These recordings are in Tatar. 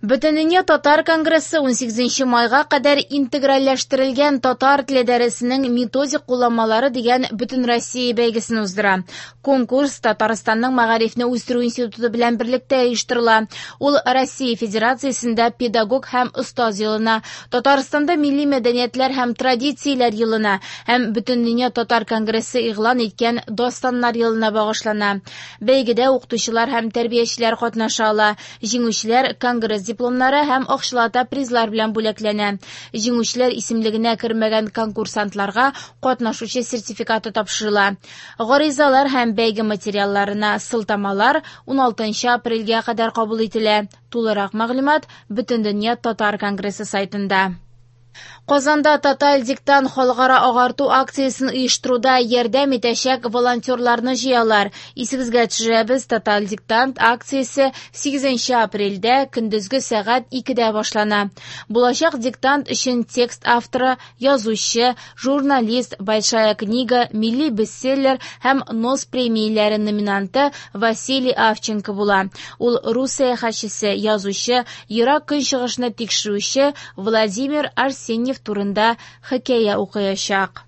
Бөтендөнья татар конгрессы 18 майга кадәр интегральләштерелгән татар теле дәресенең методик кулланмалары дигән Бөтенроссия бәйгесен уздыра. Конкурс Татарстанның мәгарифне үстерү институты белән берлектә оештырыла. Ул Россия Федерациясендә педагог һәм остаз елына, Татарстанда милли мәдәниятләр һәм традицияләр елына һәм Бөтендөнья татар конгрессы игълан иткән Дастаннар елына багышлана. Бәйгедә укытучылар һәм тәрбиячеләр катнаша ала. Җиңүчеләр конгресс дипломнары һәм акчалата призлар белән бүләкләнә. Җиңүчеләр исемлегенә кермәгән конкурсантларга катнашучы сертификаты тапшырыла. Гаризалар һәм бәйге материалларына сылтамалар 16 апрельгә кадәр кабул ителә. Тулырак мәгълүмат Бөтендөнья татар конгрессы сайтында. Казанда Тоталь диктант халыкара агарту акциясен оештыруда ярдәм итәчәк волонтерларны җыялар. Исегезгә төшерәбез, Тоталь диктант акциясе 8 апрельдә көндезге сәгать 2дә башлана. Булачак диктант өчен текст авторы, язучы, журналист, Большая книга, милли бестселлер һәм НОС премияләре номинанты Василий Авченко була. Ул рус сәяхәтчесе, язучы, Ерак Көнчыгышны тикшерүче Владимир Арсеньев турында хикәя укыячак.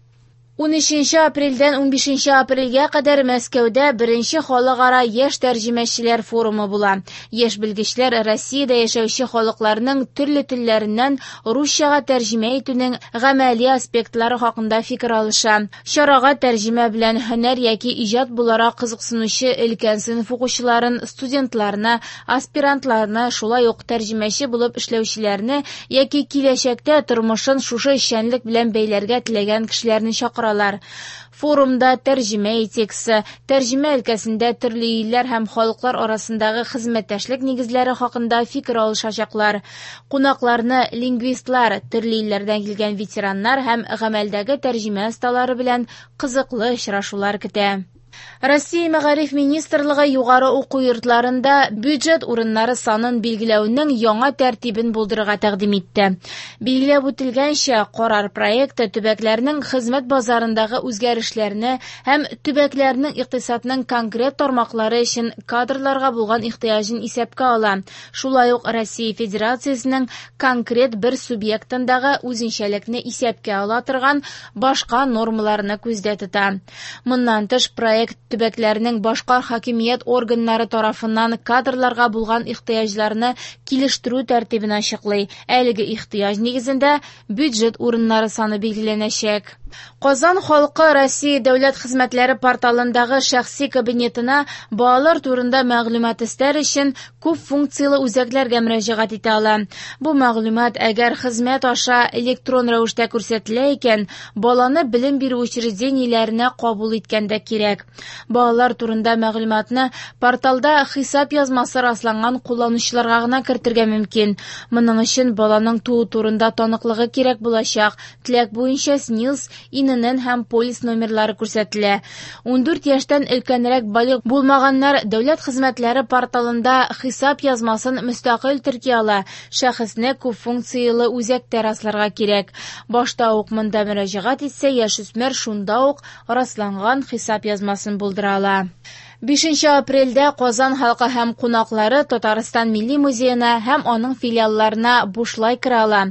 13 апрельдән 15 апрельгә кадәр Мәскәүдә беренче халыкара яшь тәрҗемәчеләр форумы була. Яшь белгечләр Россиядә яшәүче халыкларның төрле телләреннән русчага тәрҗемә итүнең гамәли аспектлары хакында фикер алыша. Чарага тәрҗемә белән һөнәр яки иҗат буларак кызыксынучы өлкән сыйныф укучыларын, студентларны, аспирантларны, шулай ук тәрҗемәче булып эшләүчеләрне яки киләчәктә тормышын шушы эшчәнлек белән бәйләргә теләгән кешеләрне чакыралар. Форумда тәрҗемә этикасы, тәрҗемә өлкәсендә төрле илләр һәм халыклар арасындагы хезмәттәшлек нигезләре хакында фикер алышачаклар. Кунакларны лингвистлар, төрле илләрдән килгән ветераннар һәм гамәлдәге тәрҗемә осталары белән кызыклы очрашулар көтә. Россия Мәгариф министрлыгы югары уку йортларында бюджет урыннары санын билгеләүнең яңа тәртибен булдырырга тәкъдим итте. Билгеләп үтелгәнчә, карар проекты төбәкләрнең хезмәт базарындагы үзгәрешләрне һәм төбәкләрнең икътисадның конкрет тармаклары өчен кадрларга булган ихтыяҗын исәпкә ала. Шулай ук Россия Федерациясенең конкрет бер субъектындагы үзенчәлекне исәпкә ала торган башка нормаларны күздә тота. Моннан тыш, проект төбәкләрнең башка хакимият органнары тарафыннан кадрларга булган ихтыяҗларны килештерү тәртибен ачыклый. Әлеге ихтыяҗ нигезендә бюджет урыннары саны билгеләнәчәк. Казан халкы Россия дәүләт хезмәтләре порталындагы шәхси кабинетына балалар турында мәгълүмат эстәр өчен күп функцияле үзәкләргә мөрәҗәгать итә ала. Бу мәгълүмат әгәр хезмәт аша электрон рәвештә күрсәтелә икән, баланы белем бирү учреждениеләренә кабул иткәндә кирәк. Балалар турында мәгълүматны порталда хисап язмасы расланган кулланучыларга гына кертергә мөмкин. Моның өчен баланың туу турында таныклыгы кирәк булачак. Теләк буенча СНИЛС, ИНН һәм полис номерлары күрсәтелә. 14 яшьтән өлкәнрәк балигъ булмаганнар дәүләт хезмәтләре порталында хисап язмасын мөстәкыйль терки ала. Шәхесне күп функцияле үзәктә расларга кирәк. Башта ук монда мөрәҗәгать итсә, яшүсмер шунда ук расланган хисап язмасын булдыра ала. 5 апрельдә Казан халкы һәм кунаклары Татарстан Милли музеена һәм аның филиалларына бушлай керә ала.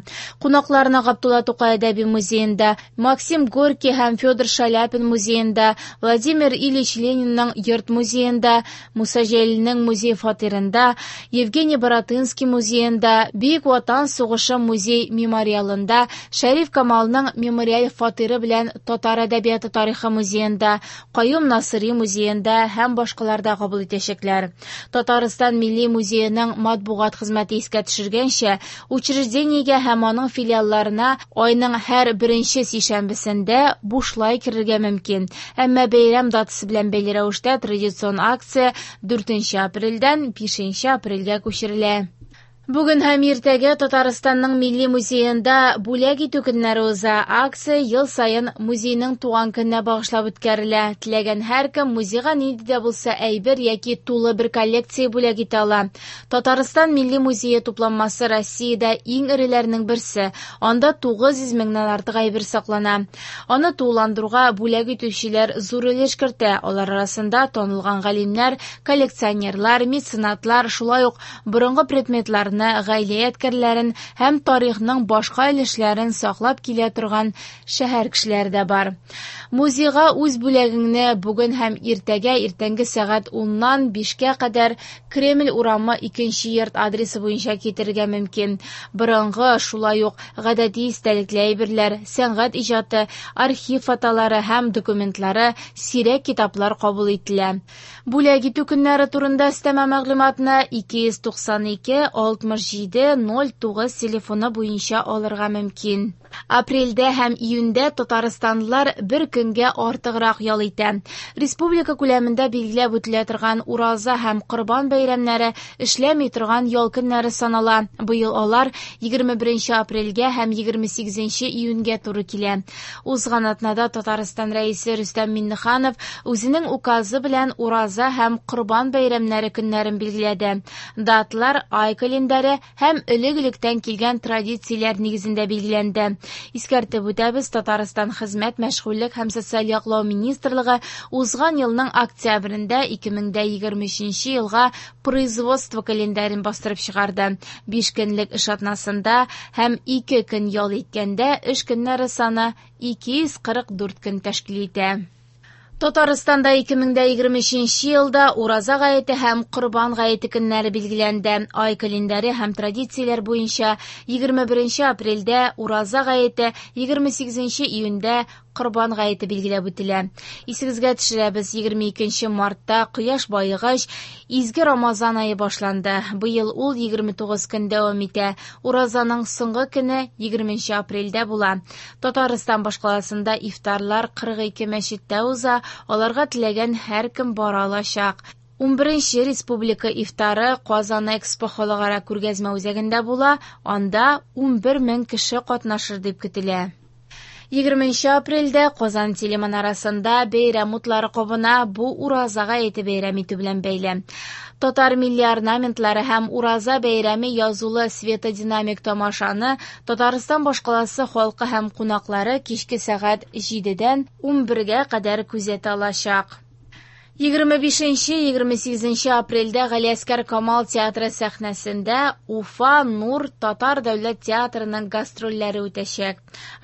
Кунакларны Габдулла Тукай әдәби музеенда, Максим Горький һәм Федор Шаляпин музеенда, Владимир Ильич Ленинның йорт музеенда, Муса Җәлилнең музей фатирында, Евгений Баратынский музеенда, Бөек Ватан сугышы музей мемориалында, Шәриф Камалның мемориаль фатиры белән Татар әдәбияты тарихы музеенда, Каюм Насыйри музеенда һәм башкаларда кабул итәчәкләр. Татарстан Милли музееның матбугат хезмәте искә төшергәнчә, учреждениегә һәм аның филиалларына айның һәр беренче сишәмбесендә бушлай керергә мөмкин. Әмма бәйрәм датасы белән бәйле рәвештә традицион акция 4 апрельдән 5 апрельгә күчерелә. Бүген һәм иртәгә Татарстанның Милли музеенда бүләк итү көннәре уза. Акция ел саен музейның туган көненә багышлап үткәрелә. Теләгән һәркем музейга нинди дә булса әйбер яки тулы бер коллекция бүләк итә ала. Татарстан Милли музее тупланмасы Россиядә иң эреләрнең берсе. Анда 900 меңнән артык әйбер саклана. Аны тулыландыруга бүләк итүчеләр зур өлеш кертә. Алар арасында танылган галимнәр, коллекционерлар, меценатлар, шулай ук борынгы предметларны аларны, гаилә ядкәрләрен һәм тарихның башка өлешләрен саклап килә торган шәһәр кешеләре дә бар. Музейга үз бүләгеңне бүген һәм иртәгә иртәнге сәгать 10-нан 5-кә кадәр Кремль урамы 2 йорт адресы буенча китерергә мөмкин. Борынгы, шулай ук гадәти истәлекле әйберләр, сәнгать иҗаты, архив фотолары һәм документлары, сирәк китаплар кабул ителә. Бүләк итү көннәре турында өстәмә мәгълүматны 292 67 09 телефоны буенча алырга мөмкин. Апрельдә һәм июньдә татарстанлылар бер көнгә артыграк ял итә. Республика күләмендә билгеләп үтелә торган Ураза һәм Корбан бәйрәмнәре эшләми торган ял көннәре санала. Быел алар 21 апрельгә һәм 28 июньгә туры килә. Узган атнада Татарстан Рәисе Рөстәм Миңнеханов үзенең указы белән Ураза һәм Корбан бәйрәмнәре көннәрен билгеләде. Даталар ай календаре һәм элек-электән килгән традицияләр нигезендә билгеләнде. Искәртеп үтәбез, Татарстан Хезмәт, мәшгульлек һәм социаль яклау министрлыгы узган елның октябрендә 2023 елга производство календарен бастырып чыгарды. 5 көнлек эш атнасында һәм 2 көн ял иткәндә эш көннәре саны 244 көн тәшкил итә. Татарстанда 2023 елда Ураза гаете һәм Корбан гаете көннәре билгеләнде. Ай календаре һәм традицияләр буенча 21 апрельдә Ураза гаете, 28 июньдә Корбан гаете билгеләп үтелә. Исегезгә төшерәбез, 22 мартта кояш баегач, изге Рамазан ае башланды. Быел ул 29 көн дәвам итә. Уразаның соңгы көне 20 апрельдә була. Татарстан башкаласында ифтарлар 42 мәчеттә уза, аларга теләгән һәркем бара алачак. 11 республика ифтары Казан Экспо халыкара күргәзмә үзәгендә була, анда 11 мең кеше катнашыр дип көтелә. 20 апрельдә Казан телеманарасында бәйрәм утлары кабына, бу Ураза гаете бәйрәм итү белән бәйле. Татар милли орнаментлары һәм Ураза бәйрәме язулы светодинамик тамашаны Татарстан башкаласы халкы һәм кунаклары кичке сәгать 7-дән 11-гә кадәр күзәтә алачак. 25-28 апрельдә Галиәсгар Камал театры сәхнәсендә Уфа Нур татар дәүләт театрының гастрольләре үтәчәк.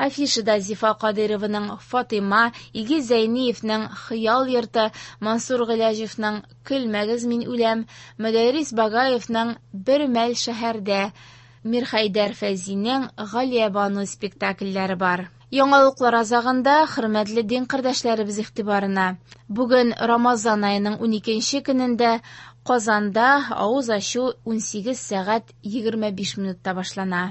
Афишада Зифа Кадыйрованың Фатыйма, Илгиз Зәйниевның Хыял йорты, Мансур Гыйләҗевның Көлмәгез мин үләм, Мөдәррис Багаевның Бер мәл шәһәрдә, Мирхәйдәр Фәйзинең Галиябану спектакльләре бар. Яңалыклар азагында хөрмәтле дин кардәшләребез игътибарына. Бүген Рамазан аеның 12 көнендә Казанда авыз ачу 18 сәгать 25 минутта башлана.